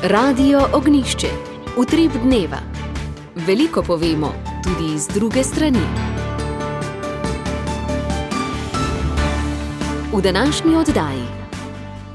Radio Ognišče, utrip dneva. Veliko povemo, tudi z druge strani. V današnji oddaji.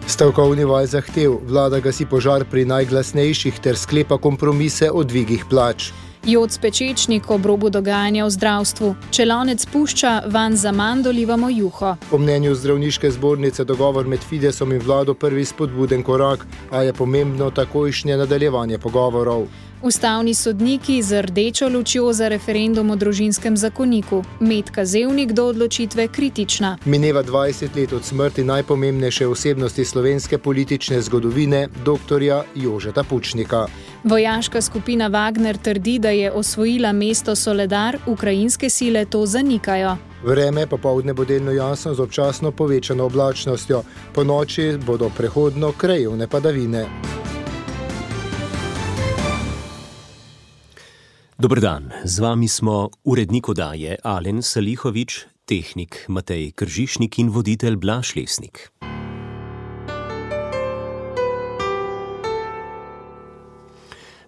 Stavkovni val zahtev, vlada gasi požar pri najglasnejših ter sklepa kompromise o dvigih plač. Joc Pečečnik ob robu dogajanja v zdravstvu. Čelonec pušča, van zaman dolivamo juho. Po mnenju zdravniške zbornice dogovor med Fidesom in vlado prvi spodbuden korak, a je pomembno takojšnje nadaljevanje pogovorov. Ustavni sodniki z rdečo lučjo za referendum o družinskem zakoniku. Metka Zevnik do odločitve kritična. Mineva 20 let od smrti najpomembnejše osebnosti slovenske politične zgodovine, doktorja Jožeta Pučnika. Vojaška skupina Wagner trdi, da je osvojila mesto Soledar, ukrajinske sile to zanikajo. Vreme popoldne bo delno jasno z občasno povečano oblačnostjo. Po noči bodo prehodno krajevne padavine. Dober dan, z vami smo urednik oddaje Alen Salihovič, tehnik Matej Kržišnik in voditelj Blaž Lesnik.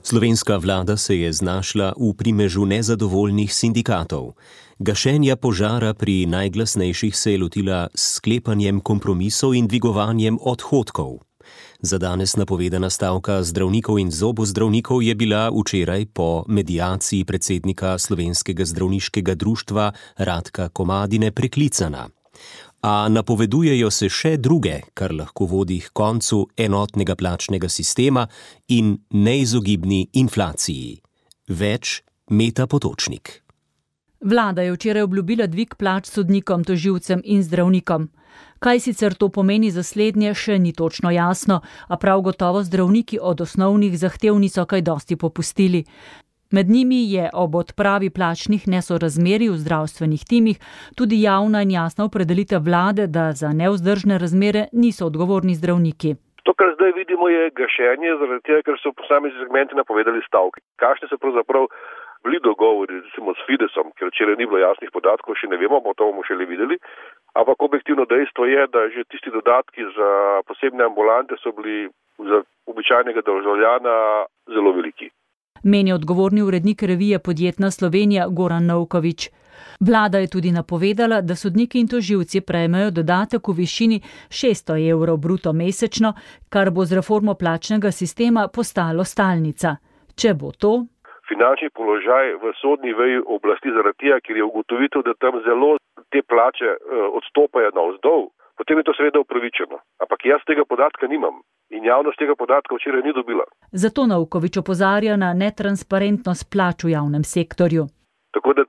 Slovenska vlada se je znašla v primežu nezadovoljnih sindikatov. Gašenja požara pri najglasnejših se je lotila s sklepanjem kompromisov in dvigovanjem odhodkov. Za danes napovedana stavka zdravnikov in zobozdravnikov je bila včeraj po mediaciji predsednika Slovenskega zdravniškega društva Radka Komadine preklicana. A napovedujejo se še druge, kar lahko vodi k koncu enotnega plačnega sistema in neizogibni inflaciji. Več Meta Potočnik. Vlada je včeraj obljubila dvig plač sodnikom, tožilcem in zdravnikom. Kaj sicer to pomeni za slednje, še ni točno jasno, a prav gotovo zdravniki od osnovnih zahtev niso kaj dosti popustili. Med njimi je ob odpravi plačnih nesorazmerij v zdravstvenih timih tudi javna in jasna opredelitev vlade, da za nevzdržne razmere niso odgovorni zdravniki. To, kar zdaj vidimo, je gašenje, zaradi tega, ker so posamezni segmenti napovedali stavke. Kakšni so pravzaprav bili dogovori, recimo s Fidesom, ker včeraj ni bilo jasnih podatkov, še ne vemo, to bomo šele videli. Ampak objektivno dejstvo je, da že tisti dodatki za posebne ambulante so bili za običajnega državljana zelo veliki. Meni odgovorni urednik revije Podjetna Slovenija Goran Novković. Vlada je tudi napovedala, da sodniki in tožilci prejmejo dodatek v višini 600 evrov bruto mesečno, kar bo z reformo plačnega sistema postalo stalnica. Če bo to... Finančni položaj v sodni veji oblasti zaradi tega, ker je ugotovitev, da tam zelo te plače odstopajo navzdol, potem je to seveda upravičeno. Ampak jaz tega podatka nimam in javnost tega podatka včeraj ni dobila. Zato Novković opozarja na netransparentnost plač v javnem sektorju. Tako da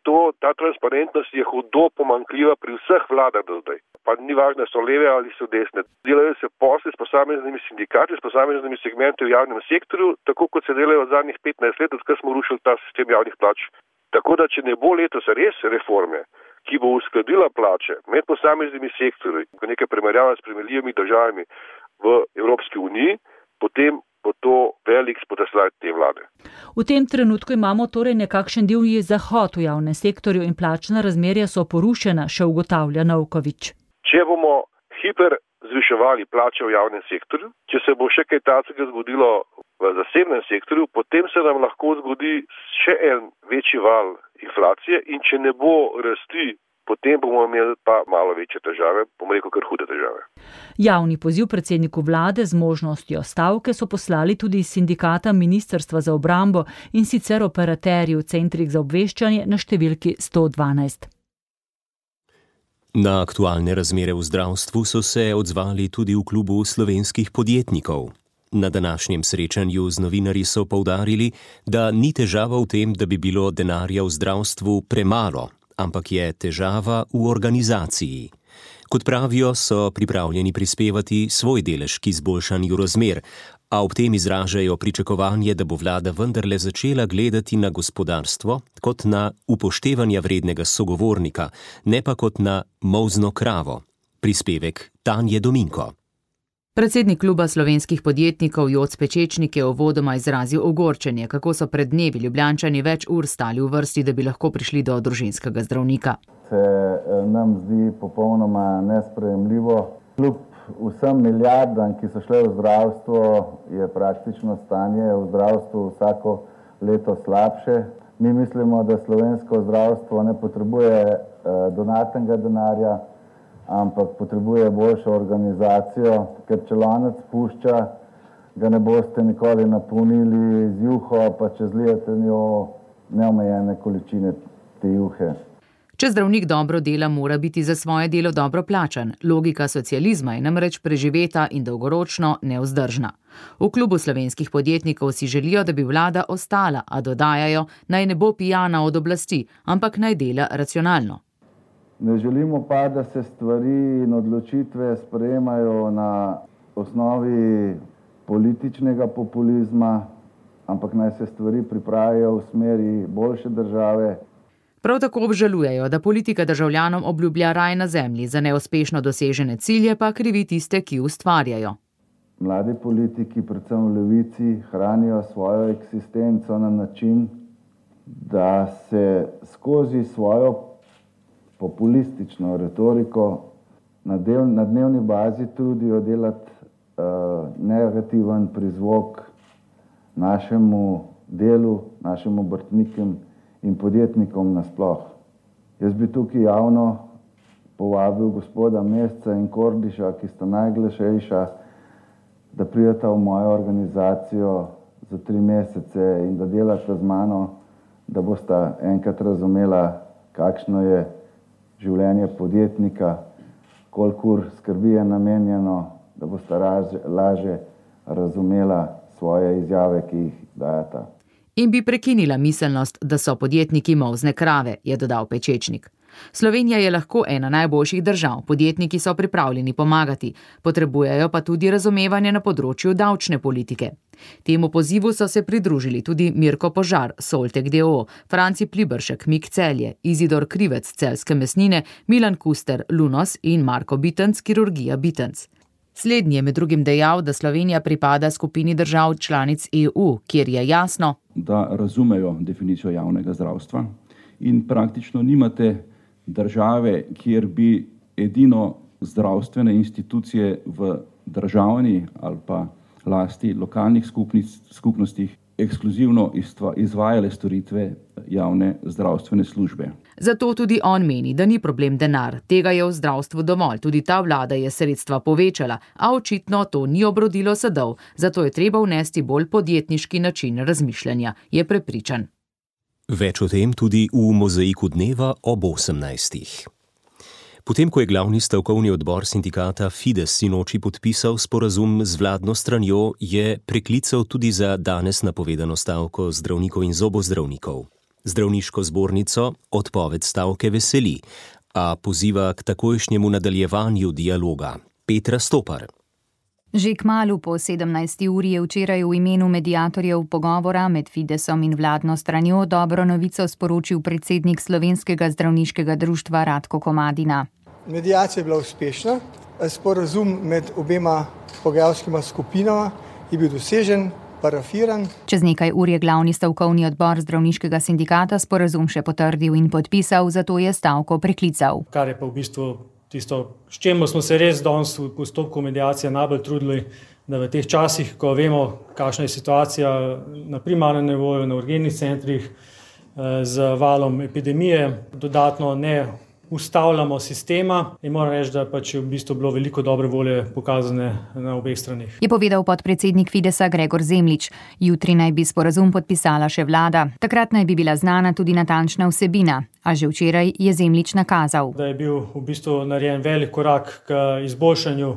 ta transparentnost je hudo pomanjkljiva pri vseh vladah do zdaj. Pa ni važno, so leve ali so desne. Delajo se posli s posameznimi sindikati, s posameznimi segmenti v javnem sektorju, tako kot se delajo v zadnjih 15 let, odkar smo rušili ta sistem javnih plač. Tako da, če ne bo letos res reforme, ki bo uskladila plače med posameznimi sektorji, nekaj primerjava s primerljivimi državami v Evropski uniji, potem bo to velik spodrsljaj te vlade. V tem trenutku imamo torej nekakšen divji zahod v javnem sektorju in plačna razmerja so porušena, še ugotavlja Novković. Če bomo hiper zviševali plače v javnem sektorju, če se bo še kaj takega zgodilo v zasebnem sektorju, potem se nam lahko zgodi še en večji val inflacije in če ne bo rasti, potem bomo imeli pa malo večje težave, bomo rekel kar hude težave. Javni poziv predsedniku vlade z možnostjo stavke so poslali tudi iz sindikata Ministrstva za obrambo in sicer operaterji v centrih za obveščanje na številki 112. Na aktualne razmere v zdravstvu so se odzvali tudi v klubu slovenskih podjetnikov. Na današnjem srečanju z novinarji so poudarili, da ni težava v tem, da bi bilo denarja v zdravstvu premalo, ampak je težava v organizaciji. Kot pravijo, so pripravljeni prispevati svoj delež k izboljšanju razmer, a ob tem izražajo pričakovanje, da bo vlada vendarle začela gledati na gospodarstvo kot na upoštevanja vrednega sogovornika, ne pa kot na molzno kravo. Prispevek Tanje Dominko. Predsednik kluba slovenskih podjetnikov Joc Pečečnik je uvodoma izrazil ogorčenje, kako so pred dnevi Ljubljančani več ur stali v vrsti, da bi lahko prišli do družinskega zdravnika. Se nam zdi popolnoma nesprejemljivo, kljub vsem milijardam, ki so šle v zdravstvo, je praktično stanje v zdravstvu vsako leto slabše. Mi mislimo, da slovensko zdravstvo ne potrebuje donatnega denarja, ampak potrebuje boljšo organizacijo, ker če lonec pušča, ga ne boste nikoli napolnili z juho, pa če zlijete njo neomejene količine te juhe. Če zdravnik dobro dela, mora biti za svoje delo dobro plačan. Logika socializma je namreč preživeta in dolgoročno nevzdržna. V klubu slovenskih podjetnikov si želijo, da bi vlada ostala, a dodajajo, naj ne bo pijana od oblasti, ampak naj dela racionalno. Ne želimo pa, da se stvari in odločitve sprejemajo na osnovi političnega populizma, ampak naj se stvari pripravijo v smeri boljše države. Prav tako obžalujejo, da politika državljanom obljublja raj na zemlji, za neuspešno dosežene cilje pa krivi tiste, ki ustvarjajo. Mladi politiki, predvsem v levici, hranijo svojo eksistenco na način, da se skozi svojo populistično retoriko na dnevni bazi trudijo delati negativen prizvok našemu delu, našim obrtnikom in podjetnikom nasploh. Jaz bi tukaj javno povabil gospoda Mesca in Kordiša, ki sta najglasnejša, da prideta v mojo organizacijo za 3 mesece in da delata z mano, da bosta enkrat razumela, kakšno je življenje podjetnika, koliko ur skrbi je namenjeno, da bosta lažje razumela svoje izjave, ki jih dajata. In bi prekinila miselnost, da so podjetniki molzne krave, je dodal Pečečnik. Slovenija je lahko ena najboljših držav, podjetniki so pripravljeni pomagati, potrebujejo pa tudi razumevanje na področju davčne politike. Temu pozivu so se pridružili tudi Mirko Požar, Soltek d.o.o., Franci Pliberšek, Mik Celje, Izidor Krivec, Celjske mesnine, Milan Kuster, Lunos in Marko Bitenc, Kirurgija Bitenc. Slednji je med drugim dejal, da Slovenija pripada skupini držav članic EU, kjer je jasno, da razumejo definicijo javnega zdravstva in praktično nimate države, kjer bi edino zdravstvene institucije v državni ali pa lasti lokalnih skupnostih ekskluzivno izvajale storitve javne zdravstvene službe. Zato tudi on meni, da ni problem denar. Tega je v zdravstvu dovolj, tudi ta vlada je sredstva povečala, a očitno to ni obrodilo sadov, zato je treba vnesti bolj podjetniški način razmišljanja, je prepričan. Več o tem tudi v Mozaiku dneva ob 18. Potem, ko je glavni stavkovni odbor sindikata Fides sinoči podpisal sporazum z vladno stranjo, je preklical tudi za danes napovedano stavko zdravnikov in zobozdravnikov. Zdravniško zbornico odpoved stavke veseli, a poziva k takojšnjemu nadaljevanju dialoga. Petra Stopar. Že kmalu po 17. uri je včeraj v imenu mediatorjev pogovora med Fidesom in vladno stranjo dobro novico sporočil predsednik Slovenskega zdravniškega društva Ratko Komadina. Mediacija je bila uspešna, sporazum med obema pogajalskima skupinama je bil dosežen, parafiran. Čez nekaj ur je glavni stavkovni odbor zdravniškega sindikata sporazum še potrdil in podpisal, zato je stavko preklical. Kar je pa v bistvu tisto, s čemu smo se res danes v postopku mediacije najbolj trudili, da v teh časih, ko vemo, kakšna je situacija na primarnem nivoju, na urgentnih centrih z valom epidemije, dodatno ne ustavljamo sistema in moram reči, da pač je v bistvu bilo veliko dobre volje pokazane na obeh stranih. Je povedal podpredsednik Fidesa Gregor Zemljič. Jutri naj bi sporazum podpisala še vlada. Takrat naj bi bila znana tudi natančna vsebina, a že včeraj je Zemljič nakazal, da je bil v bistvu narejen velik korak k izboljšanju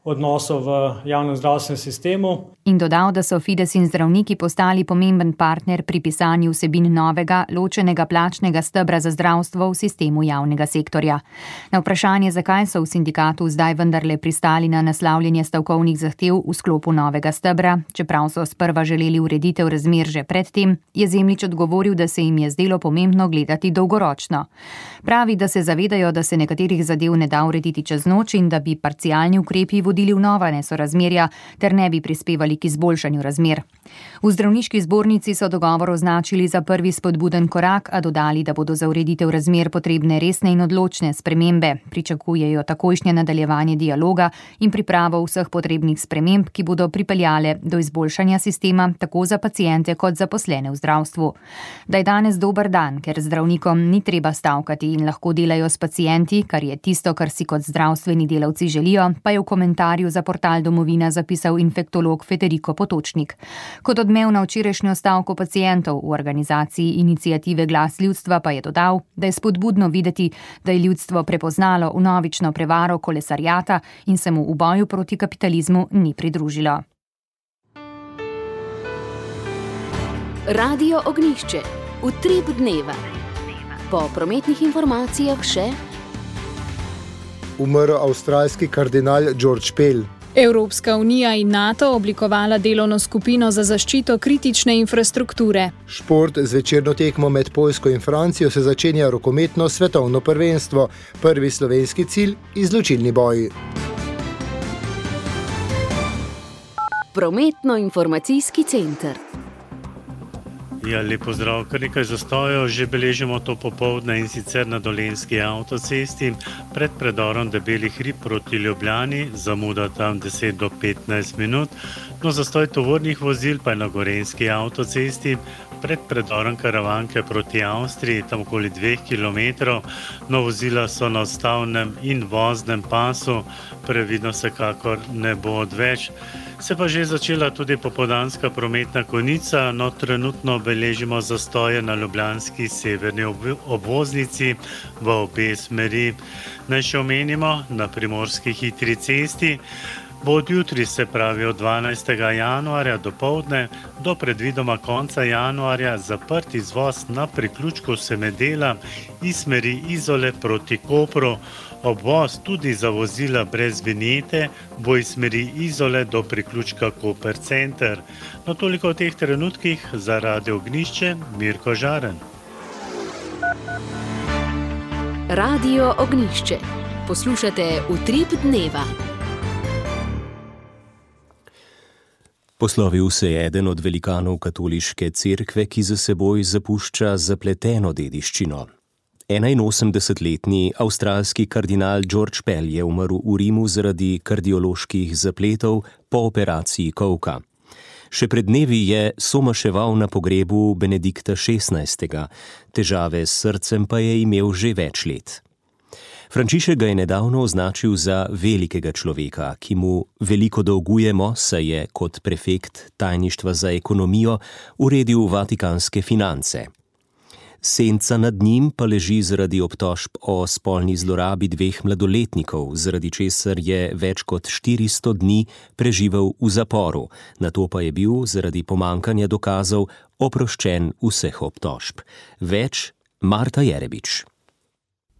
odnosov v javnem zdravstvenem sistemu. In dodal, da so Fides in zdravniki postali pomemben partner pri pisanju vsebin novega, ločenega plačnega stebra za zdravstvo v sistemu javnega sektorja. Na vprašanje, zakaj so v sindikatu zdaj vendarle pristali na naslavljanje stavkovnih zahtev v sklopu novega stebra, čeprav so sprva želeli ureditev razmer že predtem, je Zemljič odgovoril, da se jim je zdelo pomembno gledati dolgoročno. Pravi, da se zavedajo, da se nekaterih zadev ne da urediti čez noč in da bi parcialni ukrepi vodili v nova nesorazmerja ter ne bi prispevali k izboljšanju razmer. V zdravniški zbornici so dogovor označili za prvi spodbuden korak, a dodali, da bodo za ureditev razmer potrebne resne in odločne spremembe. Pričakujejo takojšnje nadaljevanje dialoga in pripravo vseh potrebnih sprememb, ki bodo pripeljale do izboljšanja sistema tako za paciente kot zaposlene v zdravstvu. Da je danes dober dan, ker zdravnikom ni treba stavkati in lahko delajo s pacienti, kar je tisto, kar si kot zdravstveni delavci želijo, pa je v komentarju za portal Domovina zapisal infektolog Federico Potočnik. Kot odmev na včerajšnjo stavko pacientov v organizaciji iniciative Glas ljudstva pa je dodal, da je spodbudno videti, da je ljudstvo prepoznalo vnovično prevaro kolesarjata in se mu v boju proti kapitalizmu ni pridružilo. Radio Ognjišče. Utrip dneva. Po prometnih informacijah še umrl avstralski kardinal George Pell. Evropska unija in NATO oblikovala delovno skupino za zaščito kritične infrastrukture. Šport z večerno tekmo med Poljsko in Francijo se začenja rokometno svetovno prvenstvo. Prvi slovenski cilj – izločilni boj. Prometno-informacijski center. Ja, lep pozdrav. Kar nekaj zastojev že beležimo to popoldne, in sicer na Dolenjski avtocesti pred predorom Debeli hrib proti Ljubljani, zamuda tam 10 do 15 minut. No, zastoj tovornih vozil pa je na Gorenjski avtocesti pred predorom Karavanke proti Avstriji, tam okoli 2 km. No, vozila so na odstavnem in voznem pasu, previdno vsekakor ne bo odveč. Se pa že začela tudi popoldanska prometna konica, no trenutno beležimo zastoje na ljubljanski severni obvoznici v obe smeri. Naj še omenimo, na primorski hitri cesti bo od jutri, se pravi od 12. januarja dopoldne do predvidoma konca januarja zaprt izvoz na priključku Semedela iz smeri Izole proti Kopru. Obvoz tudi za vozila brez vinjete bo iz smeri Izole do priključka Koper Center. No, toliko v teh trenutkih. Za Radio Ognjišče, Mirko Žaren. Radio Ognjišče. Poslušate Utrip dneva. Poslovil se je eden od velikanov katoliške cerkve, ki za seboj zapušča zapleteno dediščino. 81-letni avstralski kardinal George Pell je umrl v Rimu zaradi kardioloških zapletov po operaciji kolka. Še pred dnevi je somaševal na pogrebu Benedikta XVI. Težave s srcem pa je imel že več let. Frančišek ga je nedavno označil za velikega človeka, ki mu veliko dolgujemo, saj je kot prefekt tajništva za ekonomijo uredil vatikanske finance. Senca nad njim pa leži zaradi obtožb o spolni zlorabi 2 mladoletnikov, zaradi česar je več kot 400 dni preživel v zaporu, nato pa je bil zaradi pomankanja dokazov oproščen vseh obtožb. Več Marta Jerebič.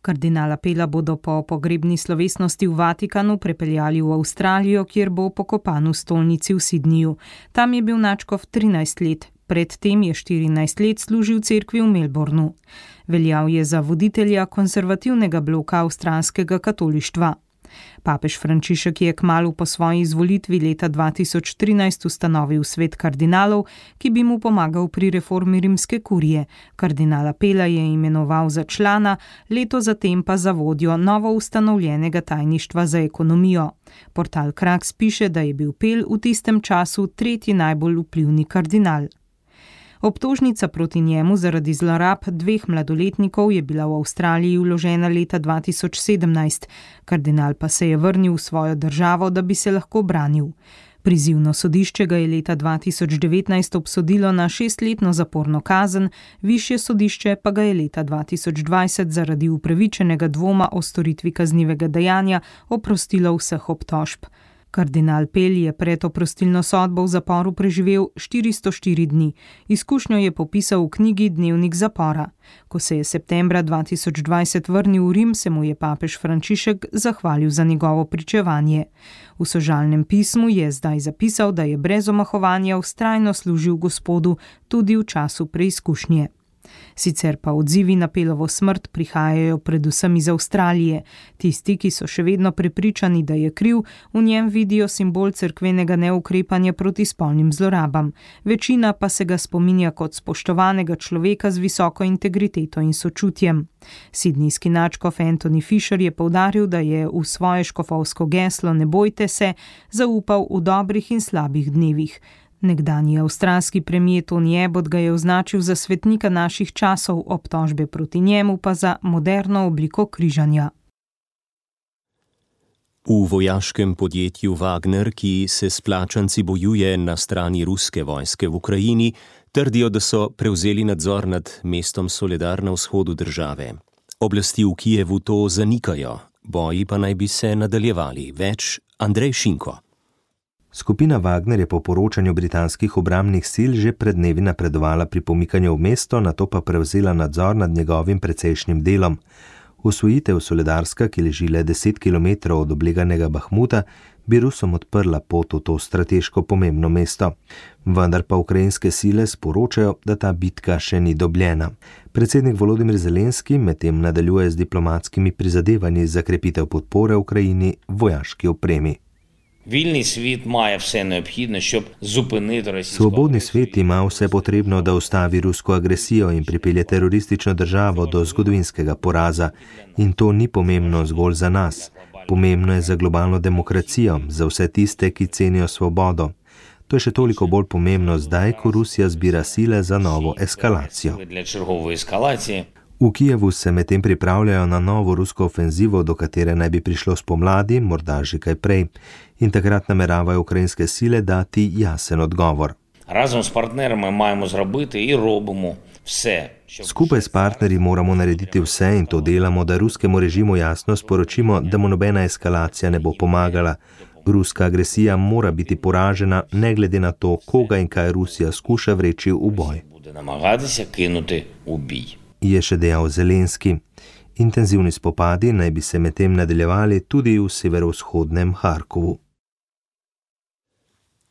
Kardinala Pella bodo po pogrebni slovesnosti v Vatikanu prepeljali v Avstralijo, kjer bo pokopan v stolnici v Sydneyju. Tam je bil nadškof 13 let. Predtem je 14 let služil cerkvi v Melbournu. Veljal je za voditelja konservativnega bloka avstralskega katolištva. Papež Frančišek je kmalu po svoji izvolitvi leta 2013 ustanovil svet kardinalov, ki bi mu pomagal pri reformi rimske kurije. Kardinala Pella je imenoval za člana, leto zatem pa za vodjo novo ustanovljenega tajništva za ekonomijo. Portal Kraks piše, da je bil Pell v tistem času 3. najbolj vplivni kardinal. Obtožnica proti njemu zaradi zlorab 2 mladoletnikov je bila v Avstraliji vložena leta 2017. Kardinal pa se je vrnil v svojo državo, da bi se lahko branil. Prizivno sodišče ga je leta 2019 obsodilo na 6-letno zaporno kazen, višje sodišče pa ga je leta 2020 zaradi upravičenega dvoma o storitvi kaznivega dejanja oprostilo vseh obtožb. Kardinal Pell je pred oprostilno sodbo v zaporu preživel 404 dni. Izkušnjo je popisal v knjigi Dnevnik zapora. Ko se je septembra 2020 vrnil v Rim, se mu je papež Frančišek zahvalil za njegovo pričevanje. V sožalnem pismu je zdaj zapisal, da je brez omahovanja vztrajno služil Gospodu tudi v času preizkušnje. Sicer pa odzivi na Pelovo smrt prihajajo predvsem iz Avstralije. Tisti, ki so še vedno prepričani, da je kriv, v njem vidijo simbol cerkvenega neukrepanja proti spolnim zlorabam. Večina pa se ga spominja kot spoštovanega človeka z visoko integriteto in sočutjem. Sidnijski nadškof Anthony Fisher je poudaril, da je v svoje škofovsko geslo Ne bojte se zaupal v dobrih in slabih dnevih. Nekdanji avstralski premier Tony Abbott ga je označil za svetnika naših časov, obtožbe proti njemu pa za moderno obliko križanja. V vojaškem podjetju Wagner, ki se s plačanci bojuje na strani ruske vojske v Ukrajini, trdijo, da so prevzeli nadzor nad mestom Soledar na vzhodu države. Oblasti v Kijevu to zanikajo, boji pa naj bi se nadaljevali. Več Andrej Šinko. Skupina Wagner je po poročanju britanskih obrambnih sil že pred dnevi napredovala pri pomikanju v mesto, nato pa prevzela nadzor nad njegovim precejšnjim delom. Osvojitev Soledarska, ki leži le 10 km od obleganega Bahmuta, bi Rusom odprla pot v to strateško pomembno mesto. Vendar pa ukrajinske sile sporočajo, da ta bitka še ni dobljena. Predsednik Volodymyr Zelenski medtem nadaljuje z diplomatskimi prizadevanji za krepitev podpore Ukrajini vojaški opremi. Svobodni svet ima vse potrebno, da ustavi rusko agresijo in pripelje teroristično državo do zgodovinskega poraza. In to ni pomembno zgolj za nas. Pomembno je za globalno demokracijo, za vse tiste, ki cenijo svobodo. To je še toliko bolj pomembno zdaj, ko Rusija zbira sile za novo eskalacijo. V Kijevu se medtem pripravljajo na novo rusko ofenzivo, do katere naj bi prišlo spomladi, morda že kaj prej. In takrat nameravajo ukrajinske sile dati jasen odgovor. Skupaj s partnerji moramo narediti vse in to delamo, da ruskemu režimu jasno sporočimo, da mu nobena eskalacija ne bo pomagala. Ruska agresija mora biti poražena, ne glede na to, koga in kaj Rusija skuša vreči v boj. Je še dejal Zelenski. Intenzivni spopadi naj bi se medtem nadaljevali tudi v severovzhodnem Harkovu.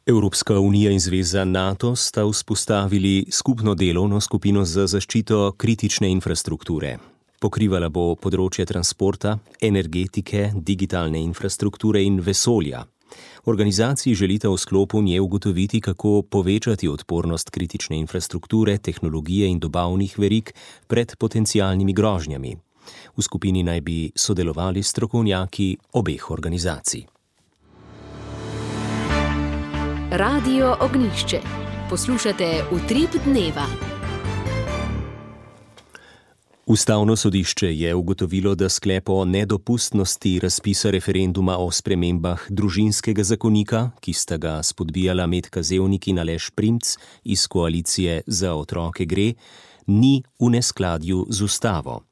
Evropska unija in zveza NATO sta vzpostavili skupno delovno skupino za zaščito kritične infrastrukture. Pokrivala bo področje transporta, energetike, digitalne infrastrukture in vesolja. Organizaciji želita v sklopu nje ugotoviti, kako povečati odpornost kritične infrastrukture, tehnologije in dobavnih verig pred potencialnimi grožnjami. V skupini naj bi sodelovali strokovnjaki obeh organizacij. Radio Ognjišče. Poslušate Utrip dneva. Ustavno sodišče je ugotovilo, da sklep o nedopustnosti razpisa referenduma o spremembah družinskega zakonika, ki sta ga spodbijala Metka Zevnik in Aleš Primc iz koalicije Za otroke gre, ni v neskladju z ustavo.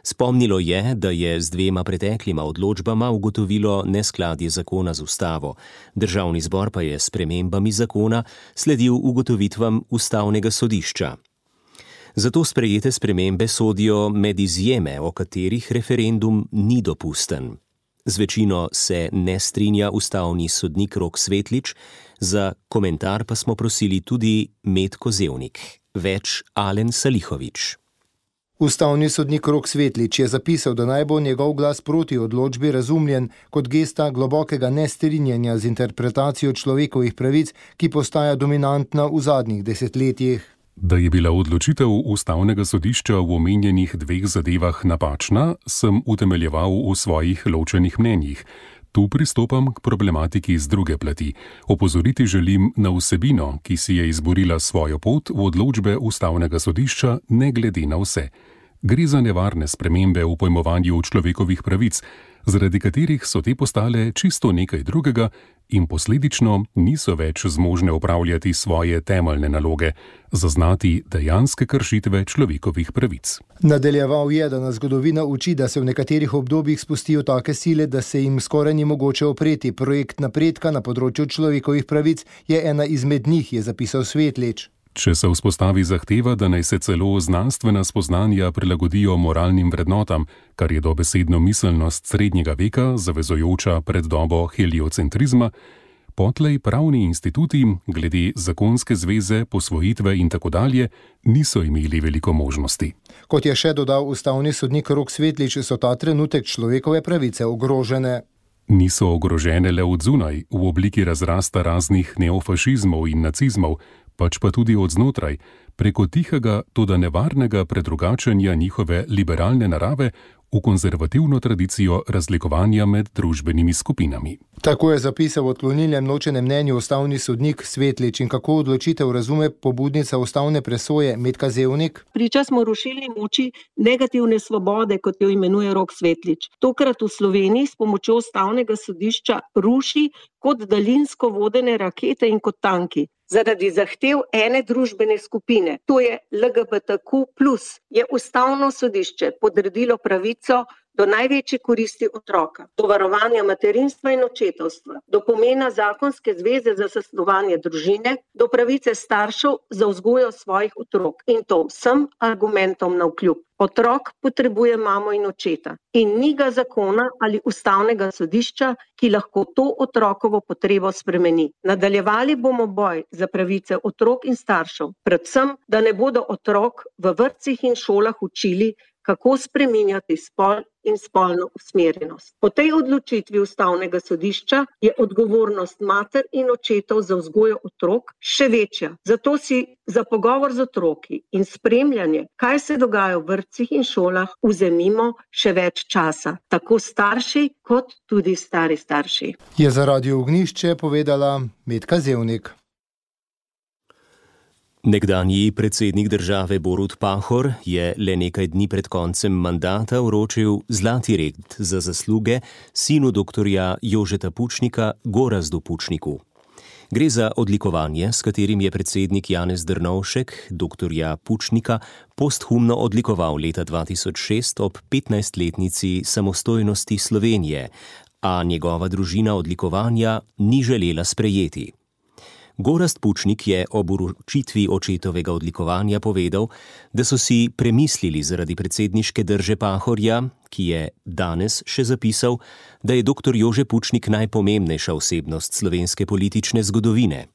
Spomnilo je, da je z 2 preteklima odločbama ugotovilo neskladje zakona z ustavo. Državni zbor pa je s spremembami zakona sledil ugotovitvam ustavnega sodišča. Zato sprejete spremembe sodijo med izjeme, o katerih referendum ni dopusten. Z večino se ne strinja ustavni sodnik Rok Svetlič, za komentar pa smo prosili tudi Metko Zevnik. Več Alen Salihovič. Ustavni sodnik Rok Svetlič je zapisal, da naj bo njegov glas proti odločbi razumljen kot gesta globokega nestrinjanja z interpretacijo človekovih pravic, ki postaja dominantna v zadnjih desetletjih. Da je bila odločitev ustavnega sodišča v omenjenih 2 zadevah napačna, sem utemeljeval v svojih ločenih mnenjih. Tu pristopam k problematiki z druge plati. Opozoriti želim na vsebino, ki si je izborila svojo pot v odločbe ustavnega sodišča, ne glede na vse. Gre za nevarne spremembe v pojmovanju človekovih pravic, zaradi katerih so te postale čisto nekaj drugega in posledično niso več zmožne upravljati svoje temeljne naloge, zaznati dejanske kršitve človekovih pravic. Nadaljeval je, da nas zgodovina uči, da se v nekaterih obdobjih spustijo take sile, da se jim skoraj ni mogoče opreti. Projekt napredka na področju človekovih pravic je ena izmed njih, je zapisal Svetlič. Če se vzpostavi zahteva, da naj se celo znanstvena spoznanja prilagodijo moralnim vrednotam, kar je dobesedno miselnost srednjega veka, zavezujoča pred dobo heliocentrizma, Potlej pravni instituti glede zakonske zveze, posvojitve in tako dalje niso imeli veliko možnosti. Kot je še dodal ustavni sodnik Rok Svetlič, so ta trenutek človekove pravice ogrožene. Niso ogrožene le od zunaj, v obliki razrasta raznih neofašizmov in nacizmov, pač pa tudi od znotraj, preko tihega, toda nevarnega predrugačenja njihove liberalne narave v konzervativno tradicijo razlikovanja med družbenimi skupinami. Tako je zapisal v odklonilnem ločenem mnenju ustavni sodnik Svetlič. In kako odločitev razume pobudnica ustavne presoje Metka Zevnik? Priča smo rušilni moči negativne svobode, kot jo imenuje Rok Svetlič. Tokrat v Sloveniji s pomočjo ustavnega sodišča ruši kot daljinsko vodene rakete in kot tanki. Zaradi zahtev ene družbene skupine, to je LGBTQ+, je ustavno sodišče podredilo pravico do največje koristi otroka, do varovanja materinstva in očetovstva, do pomena zakonske zveze za zasnovanje družine, do pravice staršev za vzgojo svojih otrok. In to vsem argumentom navkljub. Otrok potrebuje mamo in očeta in ni ga zakona ali ustavnega sodišča, ki lahko to otrokovo potrebo spremeni. Nadaljevali bomo boj za pravice otrok in staršev, predvsem, da ne bodo otrok v vrtcih in šolah učili, kako spreminjati spol in spolno usmerjenost. Po tej odločitvi ustavnega sodišča je odgovornost mater in očetov za vzgojo otrok še večja. Zato si za pogovor z otroki in spremljanje, kaj se dogaja v vrtcih in šolah, vzemimo še več časa. Tako starši kot tudi stari starši. Je za Radio Ognjišče povedala Metka Zevnik. Nekdanji predsednik države Borut Pahor je le nekaj dni pred koncem mandata vročil zlati red za zasluge sinu doktorja Jožeta Pučnika, Gorazdu Pučniku. Gre za odlikovanje, s katerim je predsednik Janez Drnovšek doktorja Pučnika posthumno odlikoval leta 2006 ob 15-letnici samostojnosti Slovenije, a njegova družina odlikovanja ni želela sprejeti. Gorazd Pučnik je ob vročitvi očetovega odlikovanja povedal, da so si premislili zaradi predsedniške drže Pahorja, ki je danes še zapisal, da je dr. Jože Pučnik najpomembnejša osebnost slovenske politične zgodovine.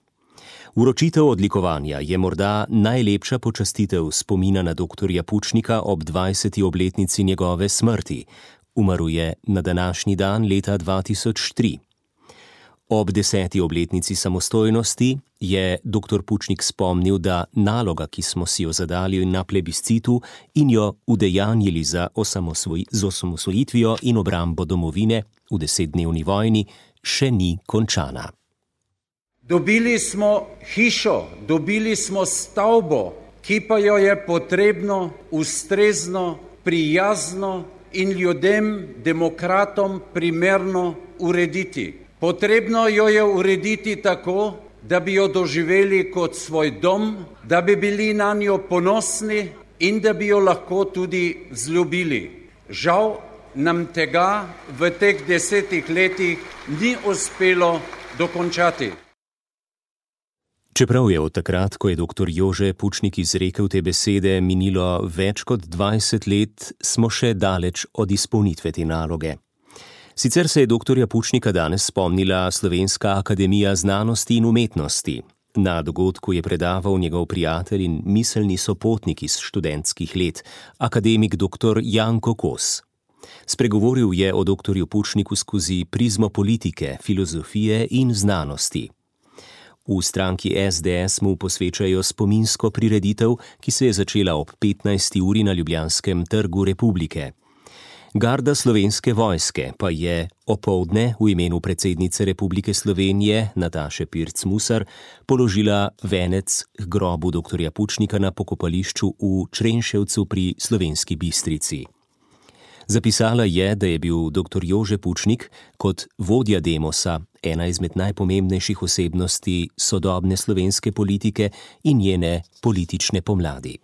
Vročitev odlikovanja je morda najlepša počastitev spomina na doktorja Pučnika ob 20. obletnici njegove smrti. Umrl je na današnji dan leta 2003. Ob 10. obletnici samostojnosti je dr. Pučnik spomnil, da naloga, ki smo si jo zadali na plebiscitu in jo udejanjili z osamosvojitvijo in obrambo domovine v 10-dnevni vojni, še ni končana. Dobili smo hišo, dobili smo stavbo, ki pa jo je potrebno ustrezno, prijazno in ljudem, demokratom primerno urediti. Potrebno jo je urediti tako, da bi jo doživeli kot svoj dom, da bi bili na njo ponosni in da bi jo lahko tudi vzljubili. Žal nam tega v teh 10 letih ni uspelo dokončati. Čeprav je od takrat, ko je dr. Jože Pučnik izrekel te besede, minilo več kot 20 let, smo še daleč od izpolnitve te naloge. Sicer se je doktorja Pučnika danes spomnila Slovenska akademija znanosti in umetnosti. Na dogodku je predaval njegov prijatelj in miselni sopotnik iz študentskih let, akademik dr. Janko Kos. Spregovoril je o doktorju Pučniku skozi prizmo politike, filozofije in znanosti. V stranki SDS mu posvečajo spominsko prireditev, ki se je začela ob 15. uri na Ljubljanskem trgu Republike. Garda Slovenske vojske pa je opoldne v imenu predsednice Republike Slovenije Nataše Pirc Musar položila venec k grobu doktorja Pučnika na pokopališču v Črenševcu pri Slovenski Bistrici. Zapisala je, da je bil dr. Jože Pučnik kot vodja Demosa ena izmed najpomembnejših osebnosti sodobne slovenske politike in njene politične pomladi.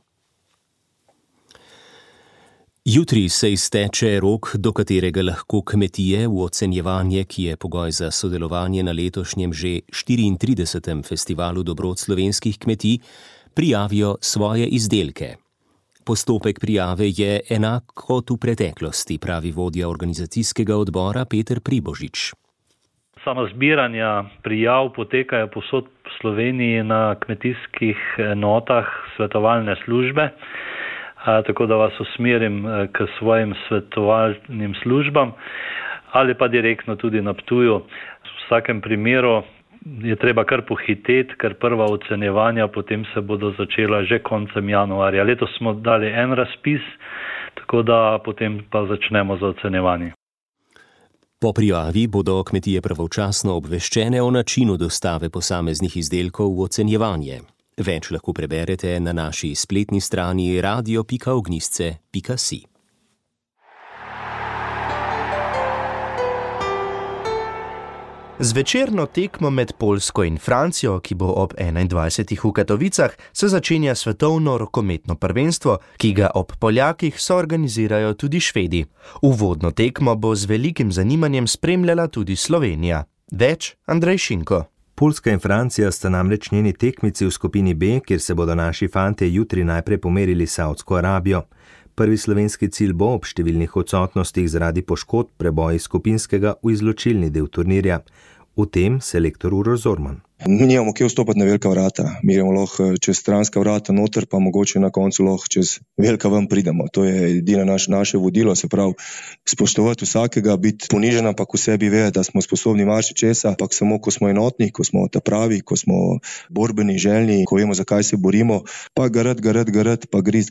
Jutri se izteče rok, do katerega lahko kmetije v ocenjevanje, ki je pogoj za sodelovanje na letošnjem že 34. festivalu dobrot slovenskih kmetij, prijavijo svoje izdelke. Postopek prijave je enak kot v preteklosti, pravi vodja organizacijskega odbora Peter Pribožič. Sama zbiranja prijav potekajo povsod po Sloveniji na kmetijskih enotah svetovalne službe, tako da vas usmerim k svojim svetovalnim službam ali pa direktno tudi na Ptuju. V vsakem primeru je treba kar pohiteti, ker prva ocenjevanja potem se bodo začela že koncem januarja. Letos smo dali en razpis, tako da potem pa začnemo z ocenjevanjem. Po prijavi bodo kmetije pravočasno obveščene o načinu dostave posameznih izdelkov v ocenjevanje. Več lahko preberete na naši spletni strani radio.ognjisce.si. Z večerno tekmo med Poljsko in Francijo, ki bo ob 21. v Katovicah, se začenja svetovno rokometno prvenstvo, ki ga ob Poljakih soorganizirajo tudi Švedi. Uvodno tekmo bo z velikim zanimanjem spremljala tudi Slovenija. Več Andrej Šinko. Poljska in Francija sta namreč njeni tekmici v skupini B, kjer se bodo naši fantje jutri najprej pomerili s Saudsko Arabijo. Prvi slovenski cilj bo ob številnih odsotnostih zaradi poškodb preboj iz skupinskega v izločilni del turnirja. V tem selektor Uroš Zorman. Nimamo kje vstopati na velika vrata. Mi gremo lahko čez stranska vrata noter, pa mogoče na koncu lahko čez velika ven pridemo. To je edino naše vodilo, se pravi spoštovati vsakega, biti ponižen, ampak v sebi ve, da smo sposobni marsičesa, ampak samo ko smo enotni, ko smo ta pravi, ko smo borbeni, željni, ko vemo, zakaj se borimo, pa garat, pa griz.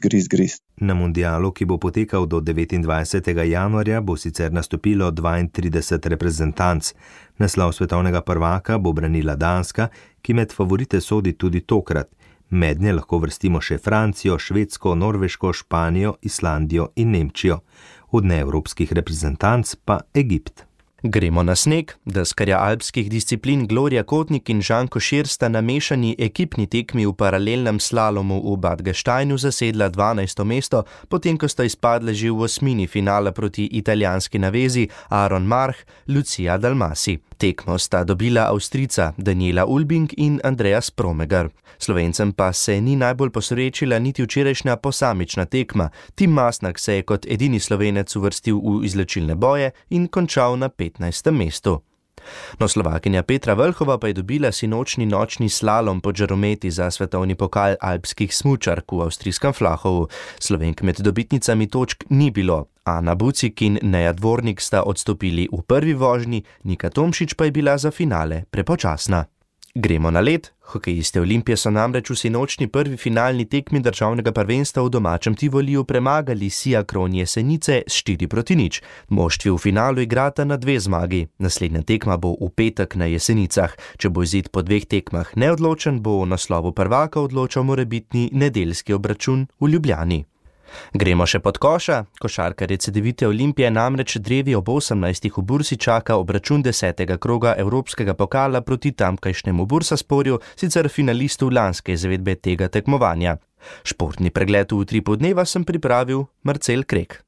Na mundialu, ki bo potekal do 29. januarja, bo sicer nastopilo 32 reprezentanc. Naslov svetovnega prvaka bo branila Danska, ki med favorite sodi tudi tokrat. Mednje lahko vrstimo še Francijo, Švedsko, Norveško, Španijo, Islandijo in Nemčijo. Od neevropskih reprezentanc pa Egipt. Gremo na sneg. Deskarja alpskih disciplin Gloria Kotnik in Žan Košir sta na mešani ekipni tekmi v paralelnem slalomu v Bad Gasteinu zasedla 12. mesto, potem ko sta izpadle že v osmini finala proti italijanski navezi Aaron March, Lucia Dalmasi. Tekmo sta dobila Avstrijca Daniela Ulbing in Andreas Promegar. Slovencem pa se ni najbolj posrečila niti včerajšnja posamična tekma. Tim Masnak se je kot edini Slovenec uvrstil v izločilne boje in končal na 15. mestu. No, Slovakinja Petra Vlhova pa je dobila sinočni nočni slalom po žarometi za svetovni pokal alpskih smučark v avstrijskem Flahovu. Slovenk med dobitnicami točk ni bilo. Ana Bucik in Neja Dvornik sta odstopili v prvi vožnji, Nika Tomšič pa je bila za finale prepočasna. Gremo na led. Hokejisti Olimpije so namreč v sinočni prvi finalni tekmi državnega prvenstva v domačem Tivoliju premagali Siakron Jesenice s 4-0. Moštvi v finalu igrata na 2 zmagi. Naslednja tekma bo v petek na Jesenicah. Če bo izid po 2 tekmah neodločen, bo o naslovu prvaka odločal morebitni nedeljski obračun v Ljubljani. Gremo še pod koša. Košarkarje Cedevite Olimpije namreč drevi ob 18. v Bursi čaka obračun 10. kroga Evropskega pokala proti tamkajšnjemu Bursasporju, sicer finalistu lanske izvedbe tega tekmovanja. Športni pregled v utripu dneva sem pripravil Marcel Krek.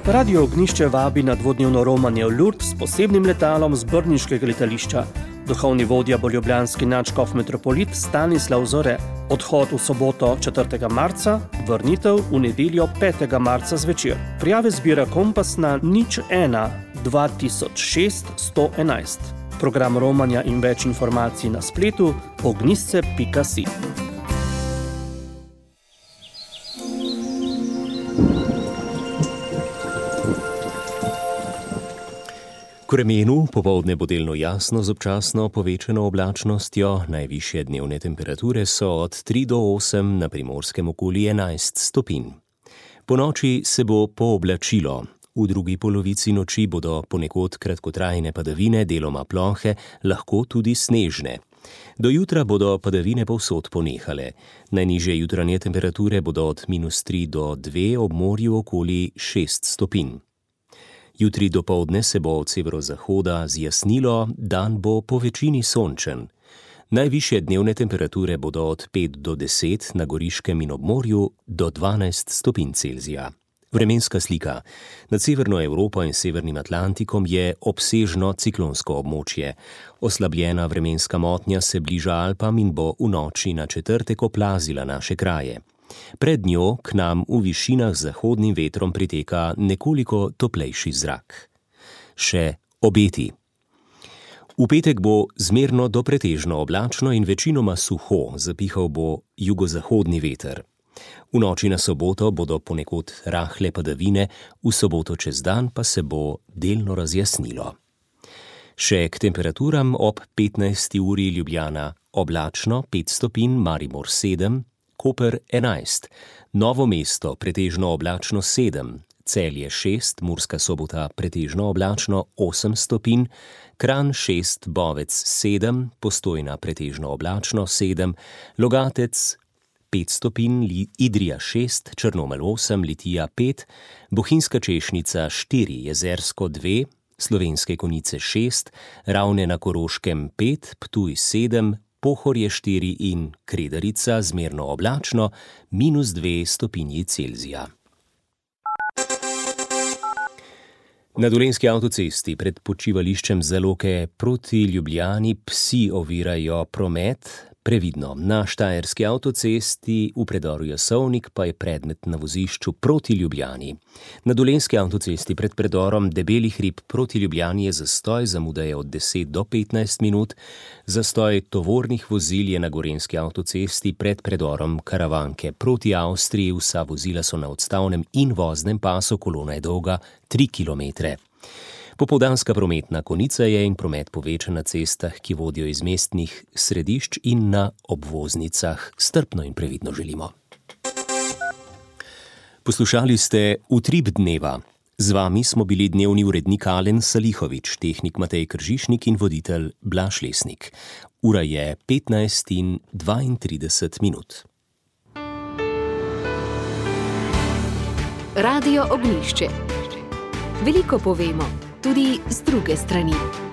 Radio Ognjišče vabi na dvodnevno romanje v Lourdes s posebnim letalom z brniškega letališča. Duhovni vodja bo ljubljanski nadškof metropolit Stanislav Zore. Odhod v soboto 4. marca, vrnitev v nedeljo 5. marca zvečer. Prijave zbira Kompas na 01 2006 111. Program romanja in več informacij na spletu ognjisce.si. K vremenu popoldne bo delno jasno z občasno povečano oblačnostjo, najvišje dnevne temperature so od 3 do 8, na Primorskem okoli 11 stopinj. Po noči se bo pooblačilo. V drugi polovici noči bodo ponekod kratkotrajne padavine, deloma plohe, lahko tudi snežne. Do jutra bodo padavine povsod ponehale. Najnižje jutranje temperature bodo od -3 do 2, ob morju okoli 6 stopinj. Jutri dopoldne se bo od severozahoda zjasnilo, dan bo po večini sončen. Najvišje dnevne temperature bodo od 5 do 10, na Goriškem in ob morju do 12 stopinj Celzija. Vremenska slika. Nad severno Evropo in severnim Atlantikom je obsežno ciklonsko območje. Oslabljena vremenska motnja se bliža Alpam in bo v noči na četrtek oplazila naše kraje. Pred njo k nam v višinah z zahodnim vetrom priteka nekoliko toplejši zrak. Še obeti. V petek bo zmerno do pretežno oblačno in večinoma suho, zapihal bo jugozahodni veter. V noči na soboto bodo ponekod rahle padavine, v soboto čez dan pa se bo delno razjasnilo. Še k temperaturam ob 15. uri Ljubljana oblačno 5 stopinj, Maribor 7, Koper 11, Novo mesto pretežno oblačno 7, Celje 6, Murska Sobota pretežno oblačno 8 stopinj, Kranj 6, Bovec 7, Postojna pretežno oblačno 7, Logatec 5 stopinj, Idrija 6, Črnomelj 8, Litija 5, Bohinjska Češnica 4, Jezersko 2, Slovenske Konjice 6, Ravne na Koroškem 5, Ptuj 7, Pohorje 4 in Kredarica zmerno oblačno -2 stopinji Celzija. Na Dolenjski avtocesti pred počivališčem Zaloke proti Ljubljani psi ovirajo promet. Previdno, na Štajerski avtocesti v predoru Jasovnik pa je predmet na vozišču proti Ljubljani. Na Dolenjski avtocesti pred predorom Debeli hrib proti Ljubljani je zastoj, zamuda je od 10 do 15 minut. Zastoj tovornih vozil je na Gorenjski avtocesti pred predorom Karavanke proti Avstriji, vsa vozila so na odstavnem in voznem pasu, kolona je dolga 3 kilometre. Popoldanska prometna konica je in promet povečan na cestah, ki vodijo iz mestnih središč in na obvoznicah. Strpno in previdno želimo. Poslušali ste Utrip dneva. Z vami smo bili dnevni urednik Alen Salihovič, tehnik Matej Kržišnik in voditelj Blaž Lesnik. Ura je 15:32 minut. Radio Ognjišče. Veliko povemo, tudi z druge strani.